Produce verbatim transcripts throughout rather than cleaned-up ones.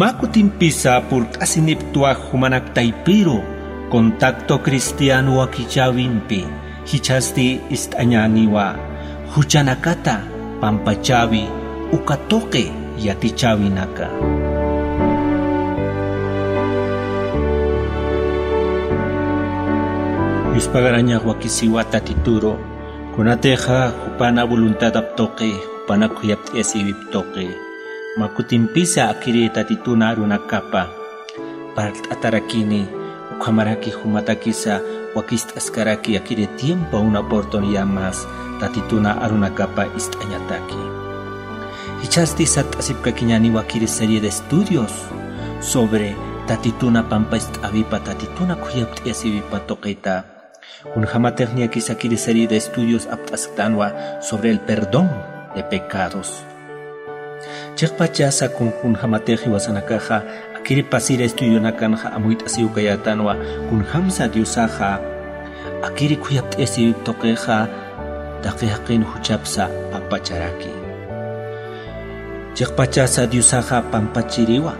Pä kutimpisa purt'asinipktwa jumanak taypiru contacto cristiano wakichäwimpi, jichhasti ist'añäniwa juchanakata pampachäwi uka tuqi yatichäwinaka. Yuspagarañax wakisiwa Tatituru, kunatixa jupana voluntadap tuqi, jupana khuyapt'ayasiwip tuqi, mä kutimpisa akiri Tatituna arunakapa parlt'atarakini, ukhamaraki jumatakisa wakist'askaraki akiri tiempo una oportunidad más Tatituna arunakapa ist'añataki. Jichhasti satt'asipkakiñäniwa akiri serie de estudios sobre Tatituna pampachäwipa, Tatituna khuyapt'ayasiwipa tuqita. Kunjämatix niyakisa akiri serie de estudios apt'asktanwa sobre el perdón de pecados. Chiqpachasa kun, kunjämatix jiwasanakaxa akiri pasir estudionakanxa amuyt'asiw kayätanwa, kunjämsa Diosaxa akiri khuyapt'ayasiwip tuqixa taqi jaqin juchhapsa pampacharaki. Chiqpachasa Diosaxa pampachiriwa.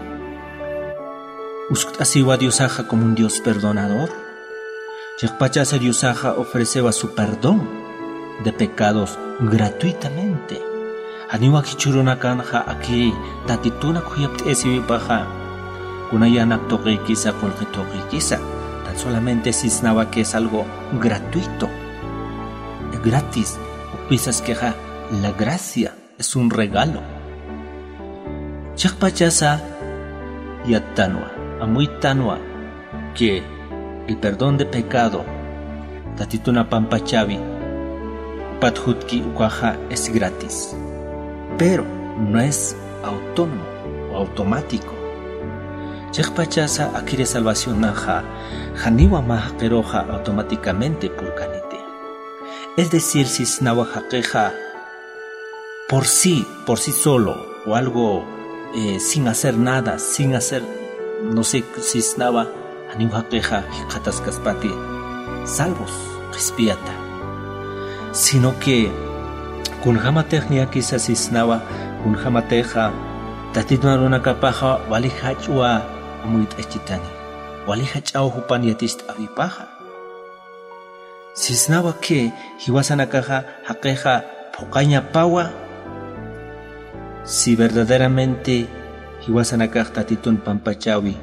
Uskt'asiwa Diosaxa como un Dios perdonador. Chiqpachasa Diosaxa ofrecewa su perdón de pecados gratuitamente. Janiwa jichhürunakanxa akiri Tatituna khuyapt'ayasiwipaxa, kuna yänap tuqikisa, qullqi tuqikisa. Tan solamente sisnawa que es algo gratuito, gratis, ukpisaskixa la gracia. Es un regalo. Chiqpachasa yattanwa, amuyttanwa que el perdón de pecado, Tatituna pampachäwi, jupat jutki ukaxa es gratis. Pero no es autónomo o automático. Chiqpachasa akiri salvacionaxa janiwa mä jaqiruxa automáticamente purkaniti. Es decir, sisnawa jaqixa por sí, por sí solo, o algo, eh, sin hacer nada, sin hacer, no sé, sisnawa, janiw jaqixa jikxataskaspati salvos, qhispiyata. Sino que kunjämatix niyakisa sisnawa, kunjämatixa Tatitun arunakapaxa wali jach'wa amuyt'achitani, wali jach'aw jupan yaticht'äwipaxa. Sisnawa que jiwasanakaxa jaqixa phuqañapawa, si verdaderamente jiwasanakax Tatitun pampachäwi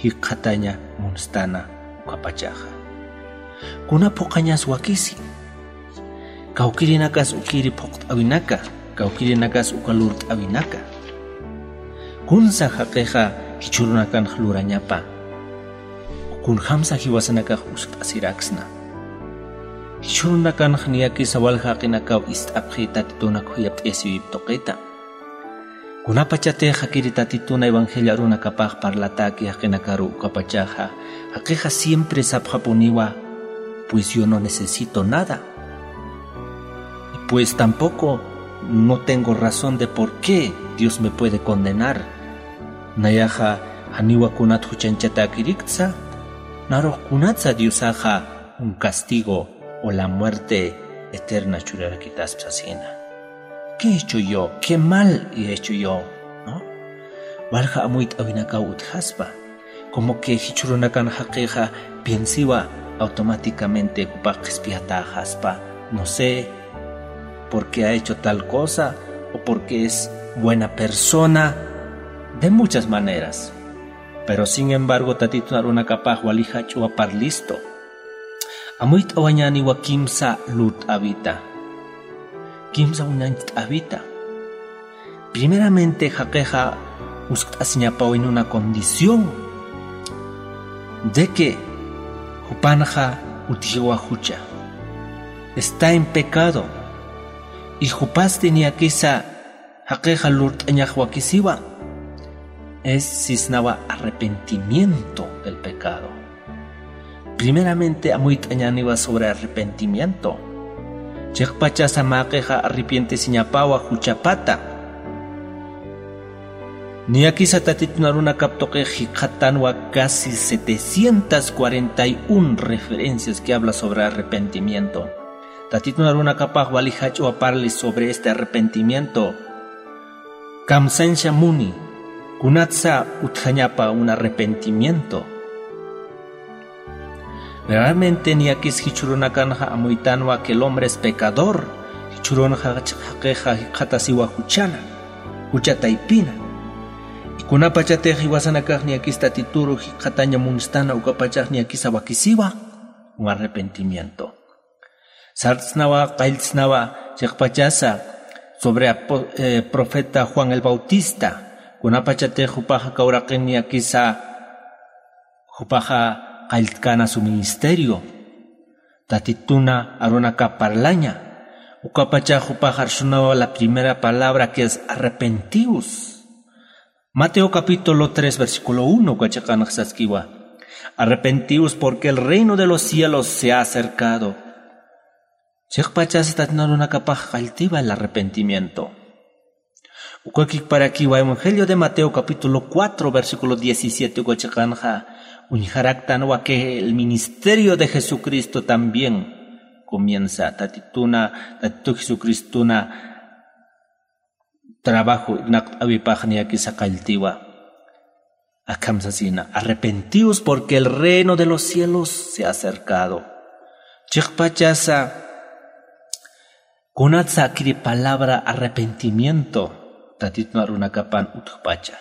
jikxataña munstana ukapachaxa. Kuna phuqañas wakisi. Kawkïrinakas ukiri phuqt'äwinaka, kawkïrinakas uka lurt'äwinaka. Kunsa jaqixa jichhürunakanx lurañapa. Kunjämsa jiwasanakax uskt'asiraksna. Jichhürunakanx niyakisa walja jaqinakaw ist'apxi Tatituna khuyapt'ayasiwip tuqita. Kunapachatix jakiri Tatituna evangelio arunakapax parlatäki jaqinakaru ukapachaxa, jaqixa siempre sapxapuniwa, pues yo no necesito nada. Y pues tampoco no tengo razón de por qué Dios me puede condenar. Nayaxa janiwa kunat juchanchatäkiriktsa, narux kunatsa Diosaxa un castigo o la muerte eterna churarakitaspsa sina. ¿Qué he hecho yo? ¿Qué mal he hecho yo? ¿No? Walja amuyt'äwinakaw utjaspa. Como que jichhürunakan jaqixa piensiwa automáticamente jupax qhispiyatäxaspa. No sé, porque ha hecho tal cosa o porque es buena persona. De muchas maneras. Pero sin embargo, Tatitun arunakapax wali jach'wa parlistu. Amuyt'awañäniwa kimsa lurt'äwita. Kimsa uñacht'äwita. Primeramente, jaqixa uskt'asiñapaw en una condición de que jupanxa utjiwa jucha. Está en pecado. Y jupasti niyakisa jaqixa lurt'añax wakisiwa, es sisnawa arrepentimiento del pecado. Primeramente amuyt'añäniwa sobre arrepentimiento. Chiqpachasa mä jaqixa arrepientesiñapawa juchapata. Niyakisa Tatitun arunakap tuqix jikxatanwa casi setecientas cuarenta y un referencias que habla sobre arrepentimiento. Tatitun arunakapax wali jach'wa parli sobre este arrepentimiento. Kamsañsa muni, Kunatsa utjañapa un arrepentimiento. Realmente niyakis jichhurunakanxa amuytanwa que el hombre es pecador. Jichhurunxa jaqixa jikxatasiwa juchana, jucha taypina. Y kunapachatix jiwasanakax niyakis tatituru jikxataña munstana ukapachax niyakisa wakisiwa un arrepentimiento. Sartsnawa qalltsnawa chiqpachasa sobre profeta Juan el Bautista, kunapachatix jupaxa kawraqin niyakisa jupaxa qalltkana su ministerio. Tatituna arunaka parlaña. Ukapacha jupaxa arsunawa la primera palabra que es arrepentius. Mateo capítulo tres versículo uno ukachiqanxa saskiwa: arrepentius porque el reino de los cielos se ha acercado. Chiqpachasa tatituna arunakapax qalltiwa el arrepentimiento. Ukakikparakiwa evangelio de Mateo capítulo cuatro versículo diecisiete ukachiqanxa uñjaraktanwa que el ministerio de Jesucristo también comienza tatituna, tatitu Jesucristuna trabajo ignaqt'awipax niyakisa qalltiwa. Akham sasina: arrepentius porque el reino de los cielos se ha acercado. Chiqpachasa kunatsa akiri palabra arrepentimiento tatitun arunakapan utjpacha.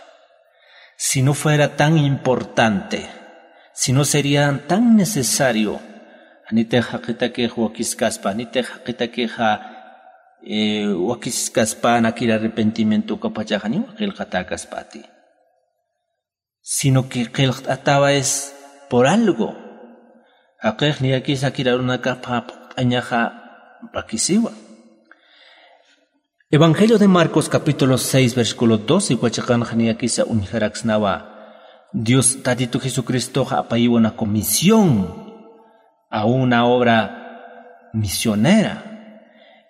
Si no fuera tan importante, si no sería tan necesario, anitix jaqitakix wakiskaspa, anitix jaqitakixa wakiskaspa nakir arrepentimiento ukapachaxa niwa qillqatäkaspati. Sino que qillqt'atawa es por algo. Jaqix niyakisa kir arunakapa phuqt'añaxa pakisiwa. Evangelio de Marcos capítulo seis versículo doce ukachiqanxa niyakisa uñjaraksnawa Dios Tatitu Jesucristoxa apayiwa una comisión a una obra misionera,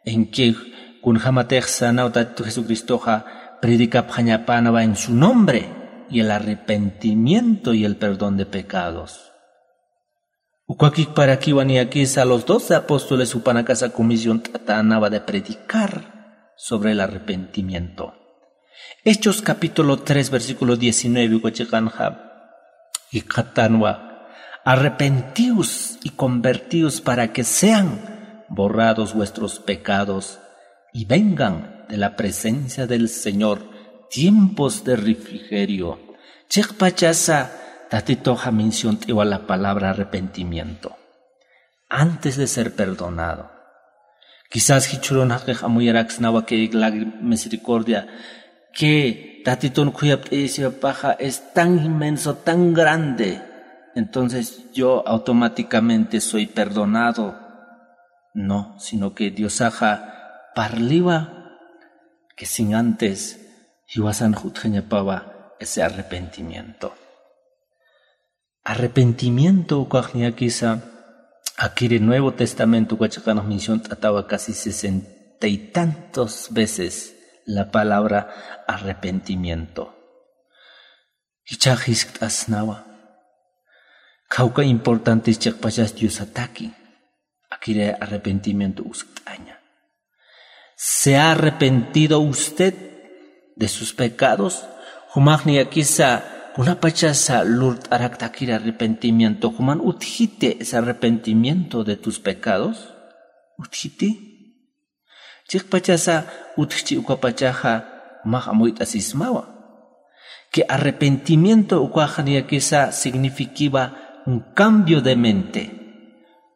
en que kunjamatix sanaw Tatitu Jesucristoxa predicapxañapanawa en su nombre y el arrepentimiento y el perdón de pecados. Ukakikparakiwa niyakisa los doce apóstoles jupanakasa comisión t'atanawa de predicar sobre el arrepentimiento. Hechos capítulo tres versículo diecinueve ukachiqanxa jikxatanwa: arrepentius y convertius para que sean borrados vuestros pecados y vengan de la presencia del Señor tiempos de refrigerio. Chiqpachasa tatituxa menciont'iwa la palabra arrepentimiento antes de ser perdonado. Quizás jichhürun jaqix amuyaraksnawa que la misericordia que tatitun khuyapt'ayasiwapaxa es tan inmenso, tan grande, entonces yo automáticamente soy perdonado. No, sino que Diosaxa parliwa que sin antes jiwasan jutjañapawa ese arrepentimiento. Arrepentimiento ukax niyakisa akiri Nuevo Testamento ukachiqanx menciont'atawa casi sesenta y tantos veces la palabra arrepentimiento. Jichhax jiskt'asnawa. Khawka importantes chiqpachas Diosataki akiri arrepentimiento uskt'aña. ¿Se ha arrepentido usted de sus pecados? Jumax niyakisa kunapachasa lurt'arakta akiri arrepentimiento, juman utjiti ese arrepentimiento de tus pecados? ¿Utjiti? Chiqpachasa utjchi ukapachaxa jumax amuyt'asismawa que arrepentimiento ukax niyakisa signifikiwa un cambio de mente,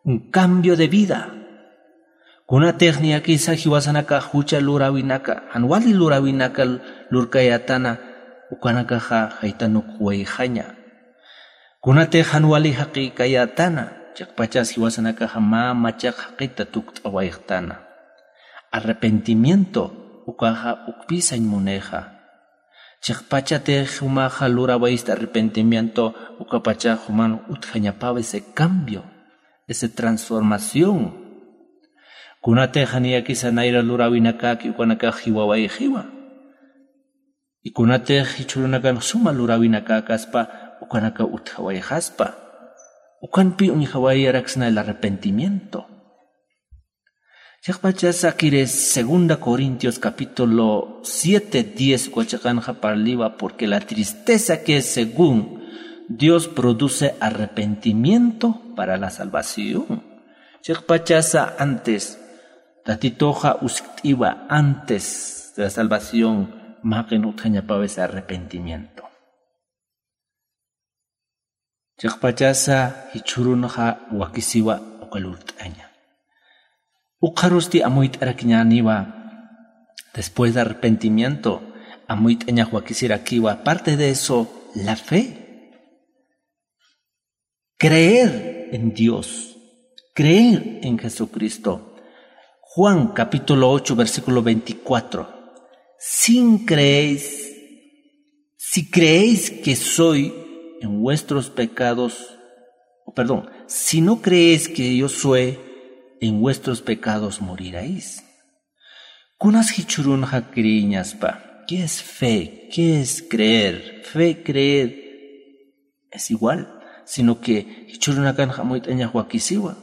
un cambio de vida. Kunatix niyakisa jiwasanakax jucha luräwinaka, jan wali luräwinaka lurkayätana, ukanakaxa jaytanukxwayxaña. Kunatix jan wali jaqïkayätana, chiqpachas jiwasanakaxa mä machaq jaqita tukt'awayxtana. Arrepentimiento ukaxa ukpï sañ munixa. Chiqpachatix jumaxa luräwayista arrepentimiento, ukapachax juman utjañapawa ese cambio, ese transformación. Kunatix niyakisa nayra luräwinakäki ukanakax jiwawayxiwa. Y kunatix jichhürunakanx suma luräwinakäkaspa ukanakaw utjawayxaspa, ukanpï uñjawayaraksna el arrepentimiento. Chiqpachasa kiri segunda Corintios capítulo siete diez uka chiqanxa parliwa, porque la tristeza que es según Dios produce arrepentimiento para la salvación. Chiqpachasa antes, Tatituxa uskt'iwa antes de la salvación, maqin utjañapawis arrepentimiento. Chiqpachasa jichhürunxa wakisiwa uka lurt'aña. Ukxarusti amuyt'arakiñäniwa, después de arrepentimiento, amuyt'añax wakisirakiwa. Aparte de eso, la fe. Creer en Dios, creer en Jesucristo. Juan capítulo ocho, versículo veinticuatro. Si creéis, si creéis que soy en vuestros pecados, o perdón, si no creéis que yo soy, en vuestros pecados moriréis. Kunas jichhürunxa creeñaspa. ¿Qué es fe? ¿Qué es creer? Fe, creer es igual, sino que jichhürunakanxa amuyt'añax wakisiwa.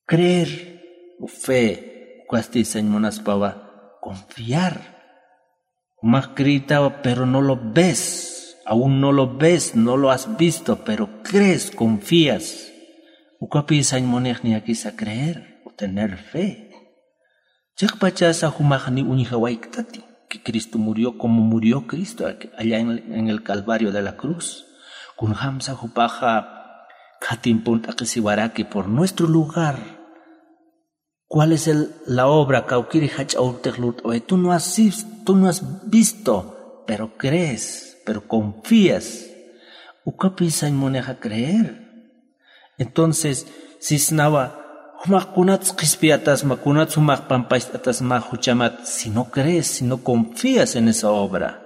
Creer o fe, ukasti sañ munaspawa confiar. Jumax creetawa, pero no lo ves. Aún no lo ves, no lo has visto, pero crees, confías. Ukapï sañ munix niyakisa creer o tener fe. Chiqpachasa jumax ni uñjawayktati que Cristo murió como murió Cristo allá en, en el Calvario de la cruz. Kunjamsa jupaxa khatimpunt'aqisiwaraki por nuestro lugar. ¿Cuál es el, la obra? Kawkïri jach'a urtix lurt'away. Tú no has, vis- tú no has visto, pero crees, pero confías. Ukapï sañ munixa creer. Entonces, sisnawa, jumax kunats qhispiyatasma, kunats jumax pampacht'atasma juchamat, si no crees, si no confías en esa obra.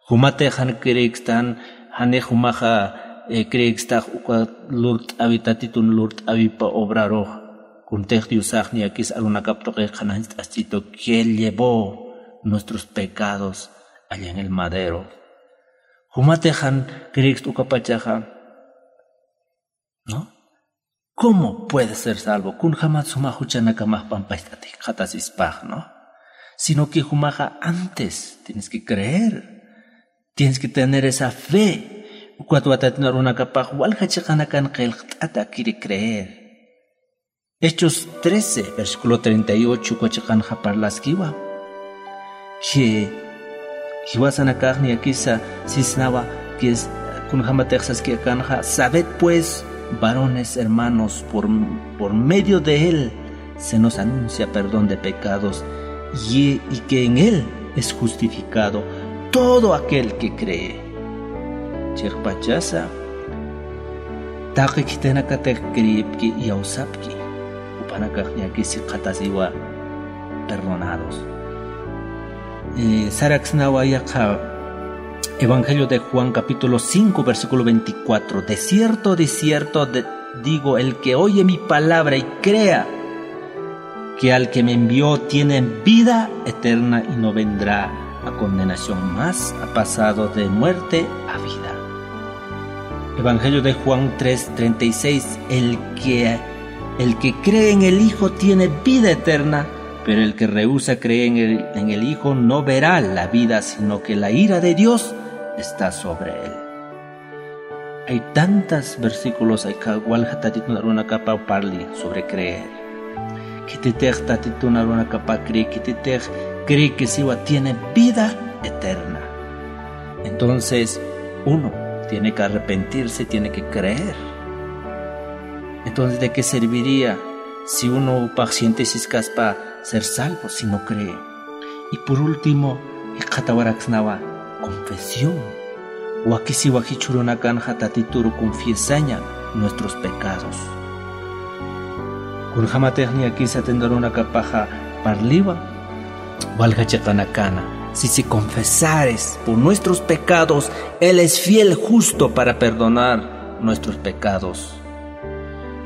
Jumatix jan creekstan, janix jumaxa, eh, creekstax uka lurt'awi, Tatitun lurt'awipa obrarux, kuntix Diosax niyakis arunakap tuqix qhanañcht'asch'itu, que Él llevó nuestros pecados allá en el madero. Jumatix jan creekst ukapachaxa, ¿no? ¿Cómo puede ser salvo? Kunjamat suma juchanakamax pampacht'atix jikxatasispax, ¿no? Sino que jumaxa antes tienes que creer, tienes que tener esa fe. Ukat Tatitun arunakapax walja chiqanakan qillqt'ata quiere creer. Hechos trece, versículo treinta y ocho, uka chiqanxa parlaskiwa. Que jiwasanakax niyakisa sisnawa, que es, kunjamatix saski akanxa, sabed pues, varones hermanos, por, por medio de él se nos anuncia perdón de pecados, y, y que en él es justificado todo aquel que cree. Chiqpachasa, taqi khitinakatix creepki, iyawsapki, jupanakax niyakis jikxatasiwa perdonados. Eh, saraksnawa yaqha Evangelio de Juan, capítulo cinco, versículo veinticuatro. De cierto, de cierto, de- digo, el que oye mi palabra y crea que al que me envió tiene vida eterna y no vendrá a condenación, mas ha pasado de muerte a vida. Evangelio de Juan tres treinta y seis, el que, el que cree en el Hijo tiene vida eterna, pero el que rehúsa creer en el, en el Hijo no verá la vida, sino que la ira de Dios está sobre él. Hay tantas versículos, hay ka- walja Tatitun arunakapa parli sobre creer. Khititix Tatitun arunakapa cree, khititix cree que siwa tiene vida eterna. Entonces, uno tiene que arrepentirse, tiene que creer. Entonces, ¿de qué serviría si uno paciente siskaspa ser salvo si no cree? Y por último, jikxatawaraksnawa confesión. Wakisiwa jichhürunakanxa Tatituru confiesaña nuestros pecados. Kunjamatix niyakisa Tatitun arunakapaxa parliwa, walja chiqanakana. Si, si confesares por nuestros pecados, Él es fiel, justo para perdonar nuestros pecados.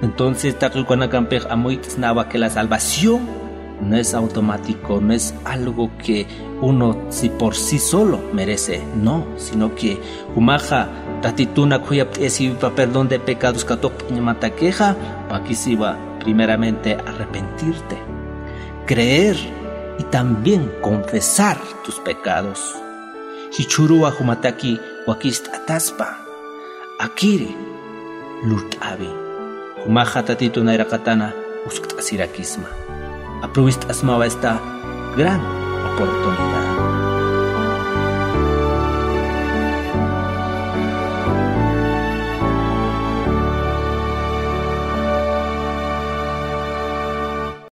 Entonces, taqi ukanakampix amuyt'snawa que la salvación no es automático, no es algo que uno si por sí solo merece, no, sino que jumaxa Tatituna khuyapt'ayasiwipa perdón de pecados katuqt'añamatakixa, wakisiwa Primeramente arrepentirte, creer y también confesar tus pecados. Jichhuruwa jumataki wakist'ataspa, akiri lurt'awi. Jumaxa Tatitu nayraqatana uskt'asirakisma. Aprovist'asmawa esta gran oportunidad.